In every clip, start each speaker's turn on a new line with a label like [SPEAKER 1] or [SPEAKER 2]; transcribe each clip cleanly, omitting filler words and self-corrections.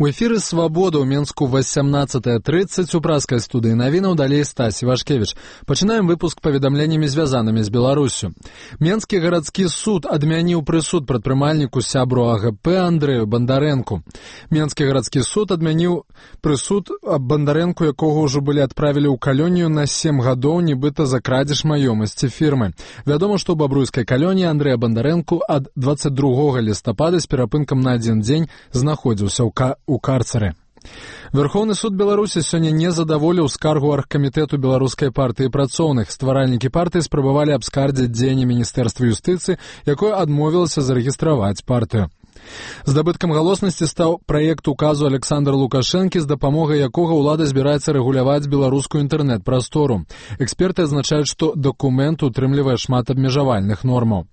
[SPEAKER 1] У эфіры «Свабода» ў Менску 18:30 у праскай студыі навінаў, далей Стась Івашкевіч. Пачынаем выпуск паведамленнямі, звязанымі з Беларуссю. Менскі гарадскі суд адмяніў прысуд прадпрымальніку сябру АГП Андрэю Бандарэнку. Менскі гарадскі суд адмяніў прысуд аб Бандарэнку, якога ўжо былі адправілі ў калонію на 7 гадоў, нібыта за крадзеж маёмасці фірмы. Вядома, што ў бабруйскай калоніі Андрэя Бандарэнку ад 22 лістапада з перапынкам на 1 дзень знаходзіўся у карцеры. Верховны суд Беларусі сёння не задаволіў скаргу аргкамітэту беларускай партыі працоўных. Стваральнікі партыі спрабавалі абскардзіць дзеянне Міністэрства юстыцыі, якое адмовілася зарэгістраваць партыю. Здабыткам галоснасці стаў праект указу Александра Лукашэнкі, з дапамогай якога ўлада збіраецца рэгуляваць беларускую інтэрнэт-прастору. Эксперты адзначаюць, што дакумент утрымлівае шмат абмежавальных нормаў.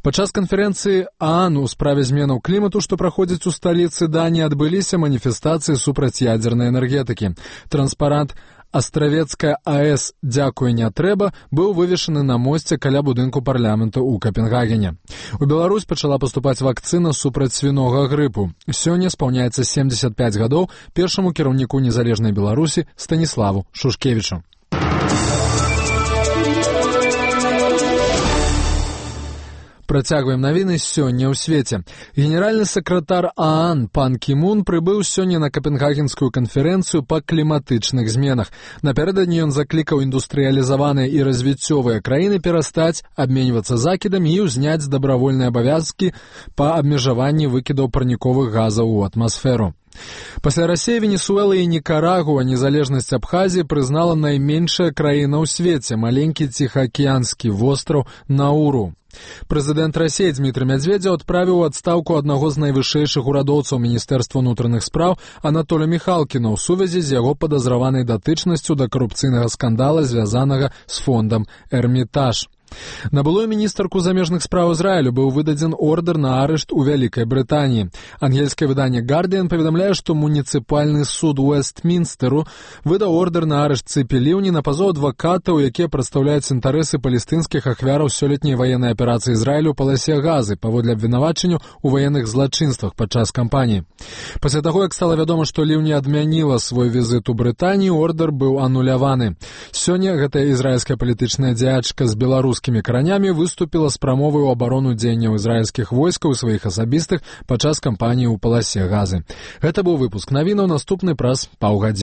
[SPEAKER 1] Падчас канферэнцыі ААН у справе зменаў клімату, што праходзіць у сталіцы Даніі, адбыліся маніфестацыі супраць ядзернай энергетыкі. Транспарант «Астравецкая АЭС, дзякуй, не трэба» быў вывешаны на мосце каля будынку парламенту ў Капенгагене. У Беларусь пачала паступаць вакцына супраць свінога грыпу. Сёння спаўняецца 75 гадоў першаму кіраўніку незалежнай Беларусі Станіславу Шушкевічу. Працягваем навіны сёння ў свеце. Генеральны сакратар ААН пан Кі Мун прыбыў сёння на Капенгагенскую канферэнцыю па кліматычных зменах. Напярэдадні ён заклікаў індустрыялізаваныя і развіццёвыя краіны перастаць абменьвацца закідамі і ўзняць дабравольныя абавязкі па абмежаванні выкідаў парніковых газаў у атмасферу. Пасля Расіі, Венесуэлы і Нікарагуа незалежнасць Абхазіі прызнала найменшая краіна ў свеце, маленькі ціхаакіянскі востраў Науру. Прэзідэнт Расіі Дмітрый Мядзведзеў адправіў у адстаўку аднаго з найвышэйшых урадоўцаў Міністэрства ўнутраных спраў Анатоля Міхалкіна ў сувязі з яго падазраванай датычнасцю да карупцыйнага скандала, звязанага з фондам «Эрмітаж». На былую міністарку замежных спраў Ізраілю быў выдадзен ордэр на арышт у Вялікай Брытаніі. Ангельскае выданне «Гардыан» паведамляе, што муніцыпальны суд Уэстмінстэру выдаў ордэр на арышт Цыпі Ліўні на пазоў адвакатаў, якія прадстаўляюць інтарэсы палестынскіх ахвяраў сёлетняй ваеннай аперацыі Ізраілю ў паласе Газы паводле абвінавачанняў у ваенных злачынствах падчас кампаніі. Пасля таго, як стала вядома, што Ліўні адмяніла свой візіт у Брытанію, ордэр быў ануляваны. Сёння гэтая ізраільская палітычная дзеячка з беларускімі каранямі выступіла з прамовай у абарону дзеянняў ізраільскіх войскаў і сваіх асабістых падчас кампаніі ў паласе Газы. Гэта быў выпуск навінаў, наступны праз паўгадзіны.